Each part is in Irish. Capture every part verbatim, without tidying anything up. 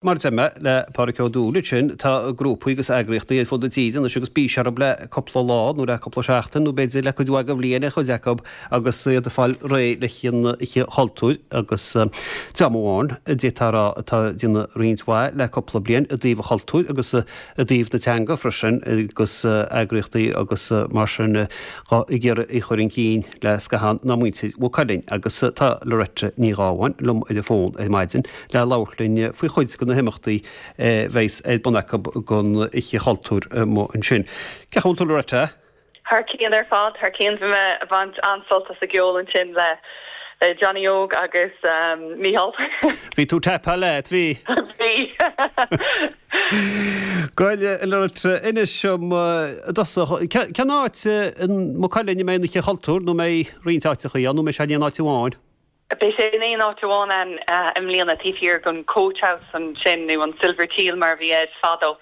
Mar a deir mé le Pádraic Ó Dúill ansin, tá grúpaí agus eagraíochtaí ar fud na tíre anois agus bís orthu le cúpla lá nó le cúpla seachtain nó b'fhéidir le cuid mhaith de bhliain ar chuid acu agus iad ag fáil réidh le an Oíche Chultúir agus dream amháin a d'fhéadfá a rá atá ag déanamh roinnt mhaith le cúpla bliain i dtaobh an chultúir agus i dtaobh na teanga freisin agus eagraíochtaí agus mar sin ag iarraidh í a chur chun cinn le scaitheamh ná muintir Mhaigh Cuilinn agus tá Loretta Ní Ghábháin liom ar an bhfón ar maidin le labhairt linn faoi chuid de na himeachtaí a bheas ar bun acu don Oíche Chultúir amuigh ansin. Cén chaoi a bhfuil tú Loretta? Thar cionn ar fad, thar cionn bhí mé ag baint an-sult as an gceol ansin le le Johnny Óg agus Mícheál. Bhí tú tapa leat, bhí? Bhí. Bhuel Loretta inis dom i dtosach, cén áit i Maigh Cuilinn a mbeidh an Oíche Chultúir nó mbeidh roinnt áiteachaí ann nó mbeidh sé in aon áit amháin? Beidh sé in aon áit amháin ann i mbliana taobh thiar den Coach House ansin nó an Silver Teal mar a bhí air fadó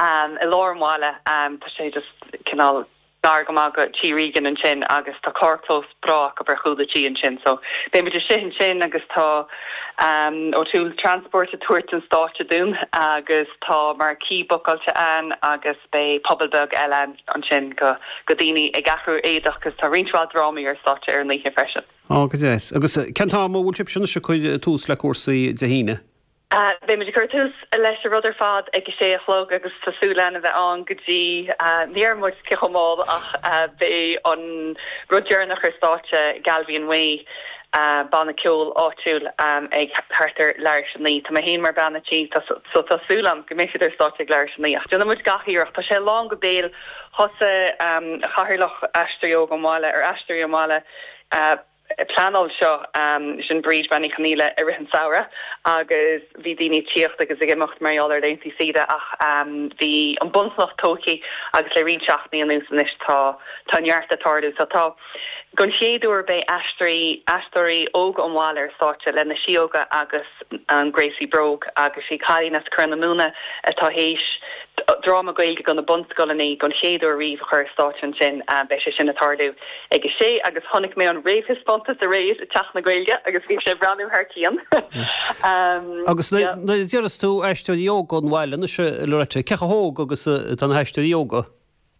i lár an bhaile. Tá sé just cineál gar go maith go Tí Regan ansin agus tá carrchlós breá acu ar chúl an tí ansin. So beidh muid istigh ansin agus tá um, O'Toole Transport ag tabhairt an stáitse dúinn agus tá marquee bookáilte ann agus beidh puball beag eile ansin go go daoine ag athrú éadach agus tá roinnt mhaith drámaí ar stáitse ar an oíche freisin. Á go deas. Agus cén t-am a bhfuil sibh sin ag cur tús le cúrsaí Dé hAoine? Uh, Beidh muid ag cur tús leis an rud ar fad ag a sé a chlog agus tá súil againn a bheith ann go dtí uh, ní muid ce chomáil ach uh, beidh an rud deireanach ar stáitse Galvian Way uh, banna ceoil áitiúil um, ag thart ar leathuair tar éis a naoi. Tá mé féin mar bhean an tí so tá súil agam go mbeidh siad ar stáitse ag leathuair tar éis a naoi. Ach déanfaidh muid gach iarracht Tá sé lán go béal thosaigh um, cathaoirleach Aisteoirí Óga an Bhaile ar Aisteoirí an Bhaile uh, pleanáil seo um, sin Bríd Ní Chonaola i rith an samhradh agus bhí daoine ag tíocht agus ag imeacht mar gheall ar laethanta saoire ach um, bhí an bunchloch tógtha agus le roinnt seachtainí anuas anois tá tá neart ag tarlú so tá don chéad uair beidh aisteoirí aisteoirí óga an bhaile ar stáitse le na síóga agus an Gracie Bróg agus sí cailín as Cor na Móna atá théis dráma Gaeilge do na bunscoileanna don chéad uair riamh a chur ar stáitse ansin beidh sé sin ag tarlú ag a sé agus chonaic mé an réamhthaispeántas aréir i Teach na Gaeilge agus bhí sé breathnú thar cionn. um, agus na deir tú aisteoirí óga an bhaile na se Loretta cé chomh hóg agus tá na haisteoirí óga?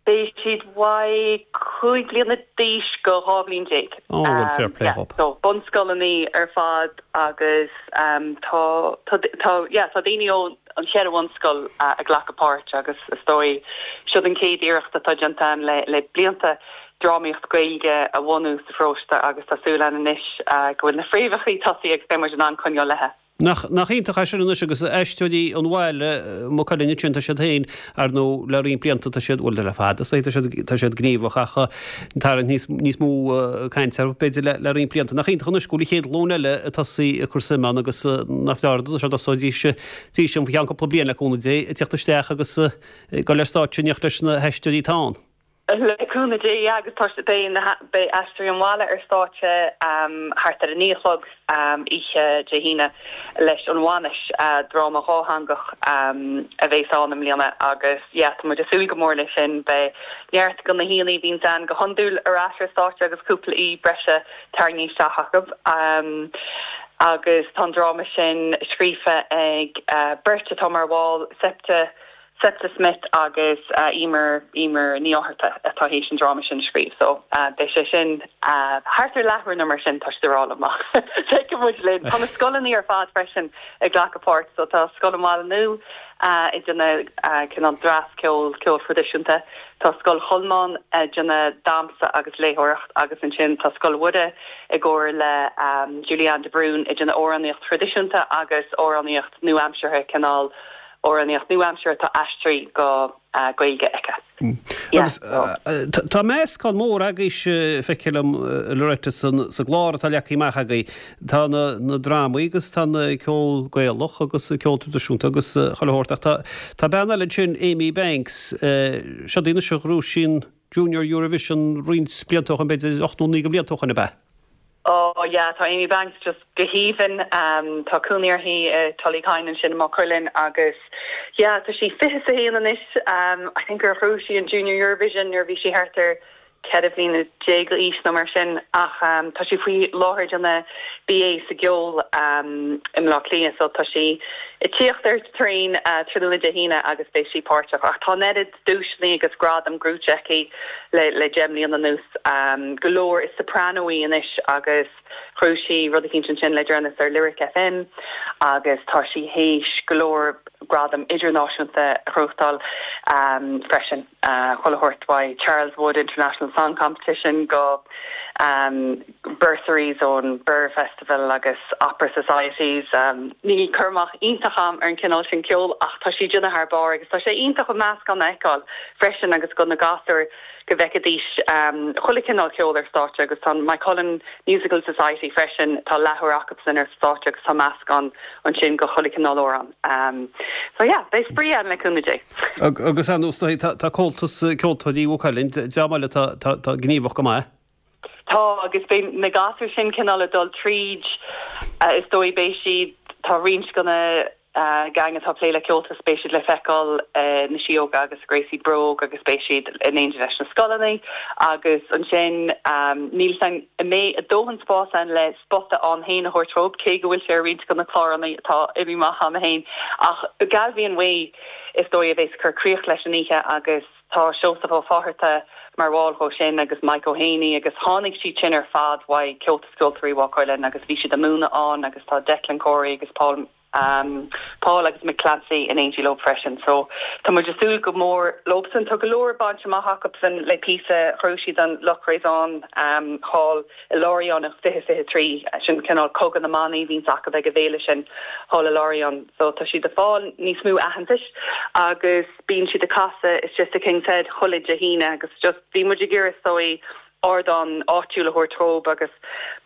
Beidh siad uaidh cúig bliana d'aois go dhá bhliain déag. Oh, fair play yeah, so bunscoileanna ar fad agus um, tá tá tá yeah, tá daoine ó an cheithre bhunscoil uh, ag glacadh páirt agus is dóigh seo an chéad iarracht atá déanta le le blianta drámaíocht Gaeilge a bhunú sa pharóiste agus tá súil againn anois uh, go bhfuil na fréamhacha tosaithe ag beidh muid in ann coinneáil léi. Nach nach iontach é sin anois agus aisteoirí an bhaile Maigh Cuilinn sin tá siad féin ar nó le roinnt blianta tá siad bhfuil le fada tá siad tá siad gníomhach ach tar níos níos mó cainte b'fhéidir le le roinnt blianta nach iontach anois go bhfuil an chéad ghlúin eile ag tosaí ag cur suim ann agus nach fearr sé dosóidís dí an cheann cúpla bliain le cúnamh Dé ag teacht isteach agus go le stáitse in éineacht leis na haisteoirí atá ann. Le cúnamh Dé agus tá beidh aisteoirí an bhaile ar stáitse um, thart ar a naoi a chlog um, oíche Dé hAoine leis an bhainis uh, dráma dátheangach um, a bheas ann i mbliana agus yeah, tá muid ag súil go mór leis sin beidh neart de na haíonna a bhíonn ann go hiondúil ar ais ar stáitse agus cúpla aoi breise tarraingthe isteach acu. Um, agus tá dráma sin scríofa ag uh, beirt atá mar bhall Septa Septa Smith agus uh, Emer Emer Ní Fhátharta atá théis an dráma sin scríobh so uh, beidh sé sin uh, thart ar leathuair mar sin tá rá amach muid linn Tá na scoileanna ar fad freisin ag glacadh páirt so tá Scoil an Bhaile Nua uh, ag déanamh uh, cineál dreas ceol ceol traidisiúnta Tá Scoil Cholmáin ag déanamh damhsa agus léitheoireacht agus ansin tá Scoil Mhuire i gcomhar le um, Julianne de Brún ag déanamh amhránaíocht traidisiúnta agus amhránaíocht nua-aimseartha cineál amhránaíocht nua-aimseartha atá aistrithe go uh, Gaeilge aici. Mm. Agus tá meascán mór agaibh feicim Loretta sa gclár atá leagtha amach agaibh tá na, na drámaí agus tá na ceol Gaelach agus ceol traidisiúnta agus chuile shórt tá Tá bean eile sin Amy Banks seo duine a ghnóthaigh Junior Eurovision roinnt blianta ó shin b'fhéidir ocht nó naoi blianta ó shin ab ea. Oh yeah, tá Amy Banks just go haoibhinn um, tá cónaí uirthi uh, Tullykyne ansin i Maigh Cuilinn agus yeah, tá sí fiche a haon anois um, I think gur ghnóthaigh sí an Junior Eurovision nuair bhí sí thart ar ceithre bliana déag d'aois nó mar sin ach um, tá sí faoi láthair ag déanamh BA sa gceol um, i mBleá Cliath so tá sí ag tíocht ar traein uh, tráthnóna Dé hAoine agus beidh sí páirteach ach tá neart duaiseanna agus gradam gnóthaithe aici le le deich mbliana anuas um, go leor is soprano í anois agus chuaigh sí rud eicínt sin le deireanas ar Lyric FM agus tá sí théis go leor gradam idirnáisiúnta a ghnóthachtáil um, freisin uh, chuile shórt uaidh Charles Wood International Song Competition go um, bursaries ón Birr Festival agus Opera Societies um, níl cur amach iontach agam ar an cineál sin ceol ach tá sí déanamh thar barr agus tá sé iontach an meascán a fheiceáil freisin agus go na gasúir go bhfeicfidís um, chuile chineál ceol ar stáitse agus tá Moycullen Musical Society freisin tá leathuair acu sin ar stáitse agus tá meascán ansin go chuile chineál amhrán. Um, so yeah, beidh spraoi ann le cúnamh Dé. Agus an tá Comhaltas Ceoltóirí Mhaigh Cuilinn deamáile tá gníomhach go maith. Tá agus beidh na gasúir sin cineál ag dul tríd uh, is dóigh beidh siad tá roinnt go na uh, gang atá plé le Comhaltas beidh siad le feiceáil uh, na Síóga agus Gracie Brogue agus beidh siad in éindí leis na scoileanna agus ansin um, níl san mé a dóthain spás ann le spota ann féin a thabhairt dóibh cé go bhfuil sé roinnt go na cláranna atá imithe amach ann féin ach Galvin Way is dóigh a bheas ag cur críoch leis an oíche agus tá Seosamh Ó Fátharta mar bhall dhó sin agus Mike O'Haney agus tháinig siad sin ar fad uaidh Comhaltas Ceoltóirí Mhaigh Cuilinn agus bhí siad ag múineadh ann agus tá Declan Corey agus Paul um, Paul agus McClancy in éindí leo freisin. So tá muid ag súil go mór leosan tá go leor bainte amach acusan le píosa chuir siad an Lucréán um, thall i Lorient an fiche fiche trí sin cineál cogadh na mbannaí bhíonn acu ag an bhféile sin thall i Lorient. So tá siad ag fáil níos mó aitheantais agus bíonn siad ag casadh istigh sa King's Head chuile Dé hAoine agus just bhí muid ag iarraidh sórt ardán áitiúil a thabhairt dóibh agus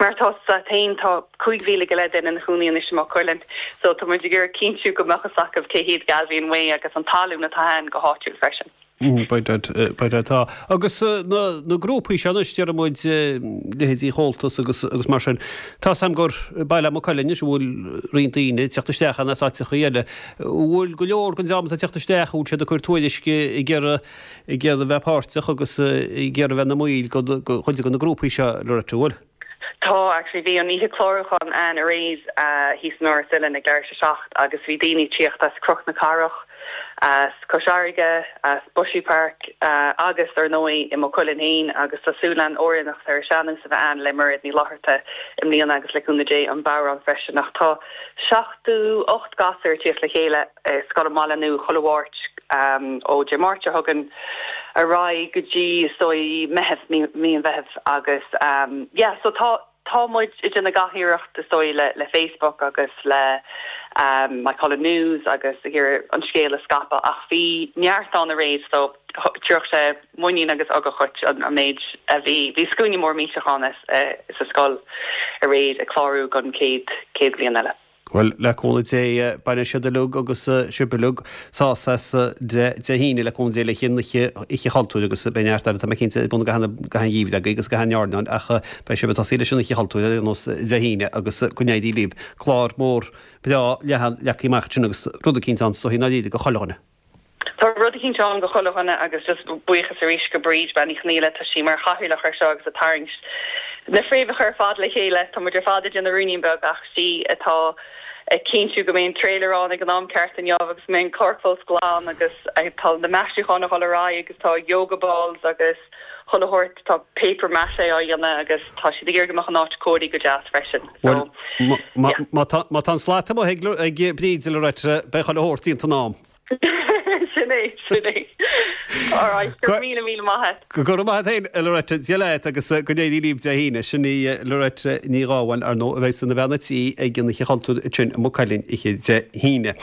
mar tá sa féin tá cúig mhíle go leith duine ina gcónaí anois i Maigh Cuilinn so tá muid ag iarraidh cinntiú go mbeadh fhios acu cé hiad Galvin Way agus an tallann atá ann go háitiúil freisin. Mm, Beidh tá. Agus uh, na, na grúpaí seo deir muid uh, leithéidí Chomhaltas agus, agus mar sin. Tá sam gur baile Maigh Cuilinn is bhfuil roinnt daoine teacht isteach an áiteacha eile. Bhfuil go leor den dream atá teacht isteach bhfuil siad ag cur tuairisce ag iarraidh ag iarraidh bheith páirteach agus ag iarraidh bheith ina mbaill go chuid de na grúpaí seo le bhfuil. Tá actually bhí an oíche chlárúcháin ann aréir uh, thíos in Áras Uilinn ag leathuair tar éis a seacht agus bhí daoine tíocht as Cnoc na Cathrach as Cois Fharraige as Bushy Park uh, agus ar ndóigh i Maigh Cuilinn féin agus tá súil againn amhránaíocht ar sean-nós a bheith ann le Mairéad Ní Fhlatharta i mbliana agus le cúnamh Dé an bodhrán freisin ach tá seachtó ocht gasúr ag tíocht le chéile uh, Scoil an Bhaile Nua chuile Mháirt um, ó Dé Máirt a thugann ar aghaidh go dtí sórt Meitheamh mí an Mheithimh agus um, yeah, so tá tá muid ag déanamh gach iarracht is dóigh le le Facebook agus le um, Moycullen News agus ag iarraidh an scéal a scaipeadh ach bhí neart ann aréir so thabharfadh sé muinín agus ugach duit an an méid a bhí bhí scuaine mór millteach ann uh, sa scoil aréir ag clárú don chéad chéad bhliain eile. Well le cúnamh Dé bainfidh siad uilig agus sibh uilig sásamh as Dé hAoine le cúnamh Dé le haghaidh Oíche Chultúir agus beidh neart eile tá mé cinnte bun gach gheimhreadh agus gach airneán ach beidh sibh ag tosaí leis an Oíche Chultúir ar nós Dé hAoine agus go n-éirí libh clár mór breá leathan leagtha amach sin agus rud eicínt ann so ná go chuile dhuine. Tá rud eicínt ann go chuile dhuine agus just buíochas arís go Bríd Bean Uí Chonghaile tá sí mar chathaoirleach air seo agus ag tarraingt na fréamhacha ar fad le chéile tá muid ar fad ag déanamh ruainnín beag ach sí atá ag cinntiú go mbeidh an trailer ann ag an am ceart inniu agus mbeidh an carrchlós glan agus tá na maisiúcháin ag dul ar aghaidh agus tá yoga balls agus chuile shórt tá paper maché á dhéanamh agus tá siad ag iarraidh go mbeadh an áit cóirithe go deas freisin. So, má tá an slat amuigh ag Bríd le beidh chuile shórt déanta in am. Sin é sin é. Alright, míle míle maith. Go raibh maith agat Loretta Dia leat agus go n-éirí libh Dé hAoine sin í Loretta Ní Ghabháin ar ndóigh a bheidh ina bean tí ag an Oíche Chultúir sin i Maigh Cuilinn oíche Dé hAoine.